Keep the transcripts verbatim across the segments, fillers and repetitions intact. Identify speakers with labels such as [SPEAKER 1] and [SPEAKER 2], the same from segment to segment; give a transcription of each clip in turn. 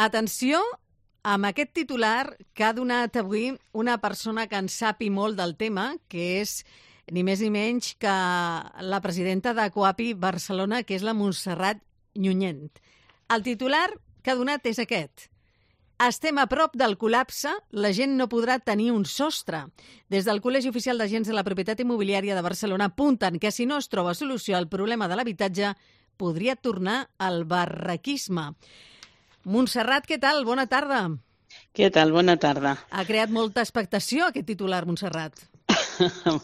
[SPEAKER 1] Atenció amb aquest titular que ha donat avui una persona que en sap i molt del tema, que és ni més ni menys que la presidenta de Coapi Barcelona, que és la Montserrat Nyunyent. El titular que ha donat és aquest. Estem a prop del col·lapse, la gent no podrà tenir un sostre. Des del Col·legi Oficial d'Agents de la Propietat Immobiliària de Barcelona apunten que si no es troba solució al problema de l'habitatge, podria tornar al barraquisme. Montserrat, què tal? Bona tarda.
[SPEAKER 2] Què tal? Bona tarda.
[SPEAKER 1] Ha creat molta expectació aquest titular, Montserrat.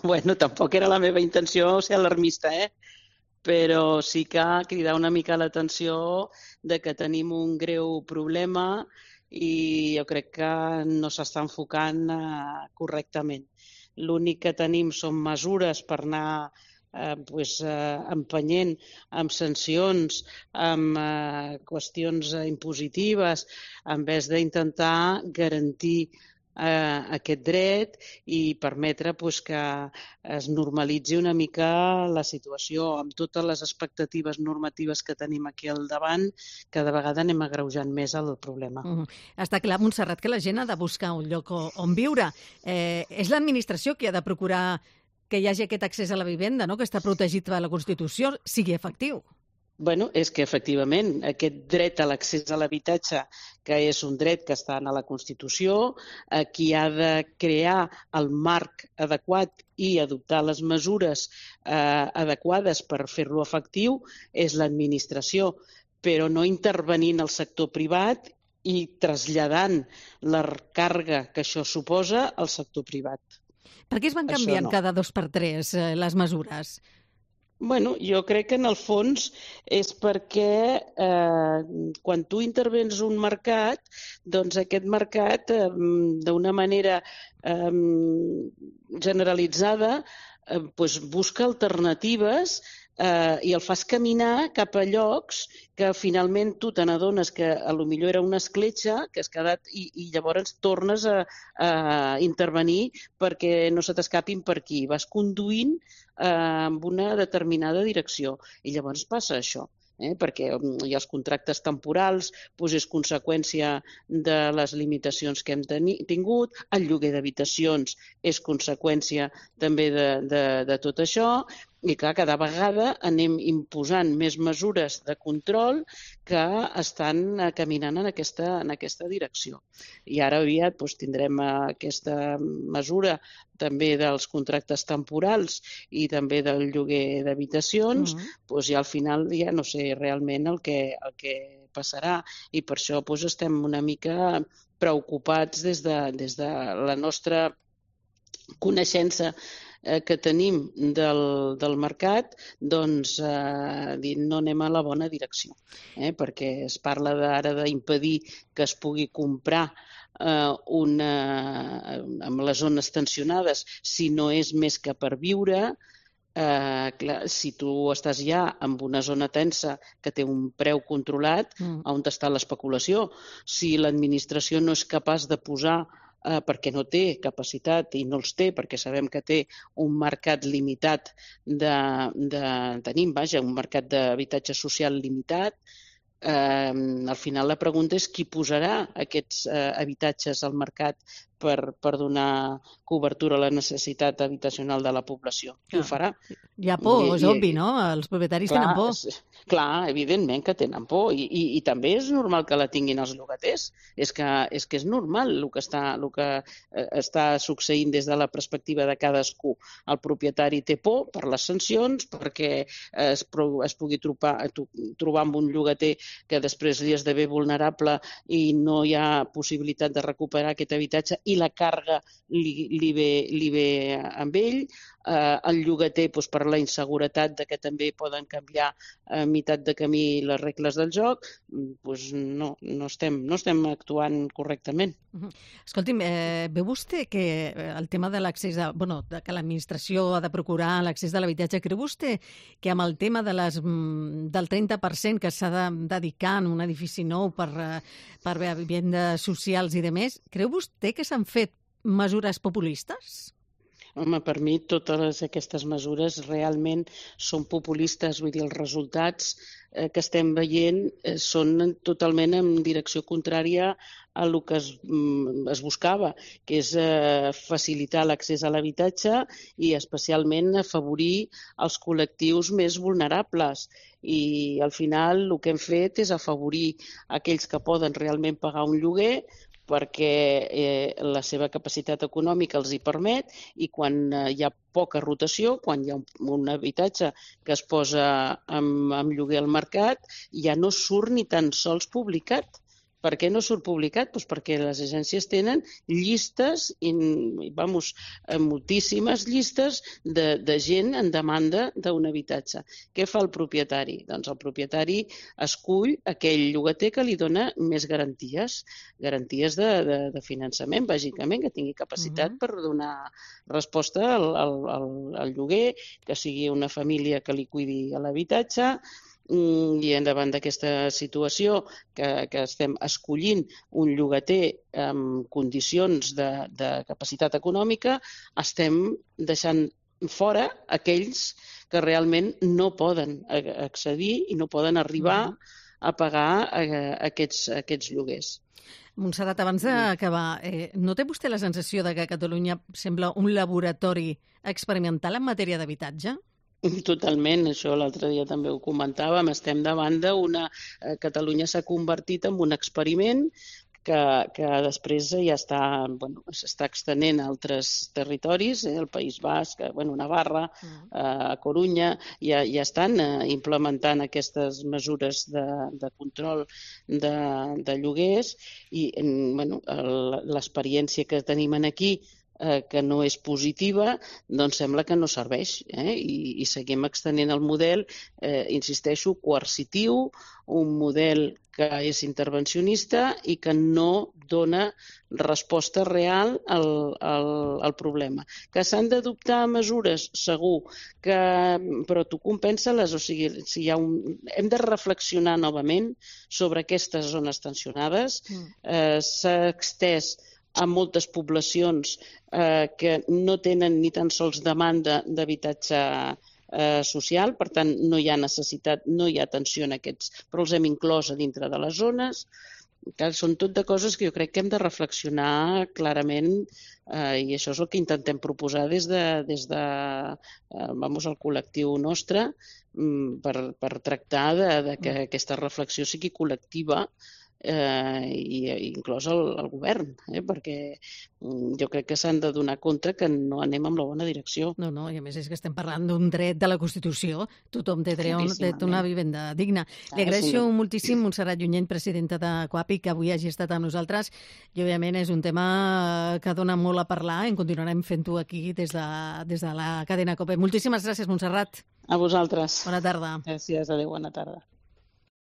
[SPEAKER 2] Bueno, tampoc era la meva intenció ser alarmista, eh? Però sí que cridar una mica l'atenció de que tenim un greu problema i jo crec que no s'està enfocant eh, correctament. L'únic que tenim són mesures per anar eh, pues, eh, empenyent amb sancions, amb eh, qüestions eh, impositives, en vez d'intentar garantir eh, aquest dret i permetre pues, que es normalitzi una mica la situació amb totes les expectatives normatives que tenim aquí al davant, cada vegada anem agreujant més el problema.
[SPEAKER 1] Uh -huh. Està clar, Montserrat, que la gent ha de buscar un lloc on viure. Eh, és l'administració qui ha de procurar que hi hagi aquest accés a la vivenda, no?, que està protegit per la Constitució, sigui efectiu.
[SPEAKER 2] Bueno, és que efectivament aquest dret a l'accés a l'habitatge, que és un dret que està a la Constitució, eh, qui ha de crear el marc adequat i adoptar les mesures eh, adequades per fer-lo efectiu és l'administració, però no intervenint el sector privat i traslladant la càrrega que això suposa al sector privat.
[SPEAKER 1] Per què es van canviant no. cada dos per tres eh, les mesures?
[SPEAKER 2] Bueno, jo crec que en el fons és perquè eh, quan tu intervens un mercat, doncs aquest mercat eh, d'una manera eh, generalitzada eh, pues busca alternatives eh, i el fas caminar cap a llocs que finalment tu te n'adones que a lo millor era una escletxa que has quedat i, i llavors tornes a, a intervenir perquè no se t'escapin per aquí. Vas conduint amb una determinada direcció. I llavors passa això, eh? perquè hi ha els contractes temporals, doncs és conseqüència de les limitacions que hem teni- tingut, el lloguer d'habitacions és conseqüència també de, de, de tot això, i clar, cada vegada anem imposant més mesures de control que estan caminant en aquesta, en aquesta direcció. I ara aviat doncs, tindrem aquesta mesura també dels contractes temporals i també del lloguer d'habitacions, uh-huh. doncs, i al final ja no sé realment el que, el que passarà. I per això doncs, estem una mica preocupats des de, des de la nostra coneixença que tenim del, del mercat, doncs eh, no anem a la bona direcció, eh? perquè es parla ara d'impedir que es pugui comprar eh, una, amb les zones tensionades si no és més que per viure. Eh, clar, si tu estàs ja en una zona tensa que té un preu controlat, mm. on està l'especulació? Si l'administració no és capaç de posar Eh, perquè no té capacitat i no els té, perquè sabem que té un mercat limitat de, de tenim, vaja, un mercat d'habitatge social limitat, eh, al final la pregunta és qui posarà aquests eh, habitatges al mercat per, per donar cobertura a la necessitat habitacional de la població. Qui
[SPEAKER 1] clar.
[SPEAKER 2] ho farà?
[SPEAKER 1] Hi ha por, I, és i, obvi, no? Els propietaris
[SPEAKER 2] clar,
[SPEAKER 1] tenen por.
[SPEAKER 2] És, clar, evidentment que tenen por i, i, i també és normal que la tinguin els llogaters. És que és, que és normal el que, està, el que eh, està succeint des de la perspectiva de cadascú. El propietari té por per les sancions, perquè es, es pugui trobar, trobar amb un llogater que després li esdevé vulnerable i no hi ha possibilitat de recuperar aquest habitatge i la càrrega li, li, ve, li ve amb ell. Eh, el llogater doncs, per la inseguretat de que també poden canviar a meitat de camí les regles del joc, doncs no, no, estem, no estem actuant correctament.
[SPEAKER 1] Uh-huh. Escolti'm, eh, veu vostè que el tema de l'accés a, bueno, de que l'administració ha de procurar l'accés de l'habitatge, creu vostè que amb el tema de les, del trenta per cent que s'ha de dedicar en un edifici nou per, per a vivendes socials i demés, creu vostè que s'han fet mesures populistes?
[SPEAKER 2] Home, per mi totes aquestes mesures realment són populistes, vull dir, els resultats eh, que estem veient eh, són totalment en direcció contrària a el que es, mm, es buscava, que és eh, facilitar l'accés a l'habitatge i especialment afavorir els col·lectius més vulnerables. I al final el que hem fet és afavorir aquells que poden realment pagar un lloguer perquè eh, la seva capacitat econòmica els hi permet i quan eh, hi ha poca rotació, quan hi ha un, un habitatge que es posa amb, amb lloguer al mercat, ja no surt ni tan sols publicat. Per què no surt publicat? Pues perquè les agències tenen llistes, i, vamos, moltíssimes llistes de, de gent en demanda d'un habitatge. Què fa el propietari? Doncs el propietari escull aquell llogater que li dona més garanties, garanties de, de, de finançament, bàsicament, que tingui capacitat uh-huh. per donar resposta al, al, al, al lloguer, que sigui una família que li cuidi l'habitatge, i davant d'aquesta situació que, que estem escollint un llogater amb condicions de, de capacitat econòmica, estem deixant fora aquells que realment no poden accedir i no poden arribar a pagar aquests, aquests lloguers.
[SPEAKER 1] Montserrat, abans d'acabar, eh, no té vostè la sensació de que Catalunya sembla un laboratori experimental en matèria d'habitatge?
[SPEAKER 2] Totalment, això l'altre dia també ho comentàvem, estem davant d'una... Catalunya s'ha convertit en un experiment que, que després ja està, bueno, s'està extenent a altres territoris, eh, el País Basc, bueno, Navarra, eh, a Corunya, ja, ja estan eh, implementant aquestes mesures de, de control de, de lloguers i bueno, l'experiència que tenim aquí Eh, que no és positiva, doncs sembla que no serveix. Eh? I, I seguim extenent el model, eh, insisteixo, coercitiu, un model que és intervencionista i que no dona resposta real al, al, al problema. Que s'han d'adoptar mesures, segur, que, però tu compensa-les, o sigui, si hi ha un... hem de reflexionar novament sobre aquestes zones tensionades. Eh, s'ha extès a moltes poblacions eh, que no tenen ni tan sols demanda d'habitatge eh, social, per tant no hi ha necessitat, no hi ha atenció en aquests, però els hem inclòs a dintre de les zones. Que són tot de coses que jo crec que hem de reflexionar clarament eh, i això és el que intentem proposar des de, des de eh, vamos, el col·lectiu nostre per, per tractar de, de que aquesta reflexió sigui col·lectiva eh, i inclòs el, el govern, eh, perquè jo crec que s'han de donar compte que no anem en la bona direcció.
[SPEAKER 1] No, no, i a més és que estem parlant d'un dret de la Constitució, tothom té dret a una vivenda digna. Li agraeixo ah, sí. moltíssim, Montserrat Junyent, presidenta de Coapi, que avui hagi estat amb nosaltres, i òbviament és un tema que dona molt a parlar, en continuarem fent-ho aquí des de, des de la cadena COPE. Moltíssimes gràcies, Montserrat.
[SPEAKER 2] A vosaltres.
[SPEAKER 1] Bona tarda.
[SPEAKER 2] Gràcies, adéu, bona tarda.